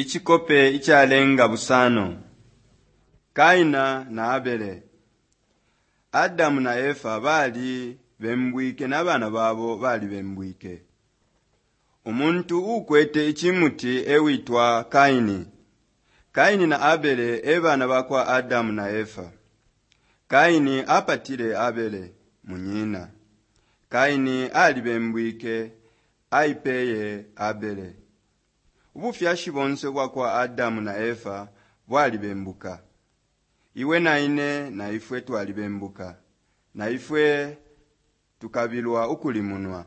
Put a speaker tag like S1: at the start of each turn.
S1: Icikope icalenga busano Kaina na Abele. Adamu na Efa bali bembwike na bana babo balibembwike. Umuntu uukwete icimuti e witwa Kaini. Kaini na Abele e bana ba kwa Adamu na Efa. Kaini apatile Abele, munyina. Kaini alibembwike, aipeye Abele. Ubufyashi bonse ubwa kwa Adamu na Efa bwalibembuka. Iwe na ine na ifwe twalibembuka. Na ifwe tukabilwa ukulimunwa.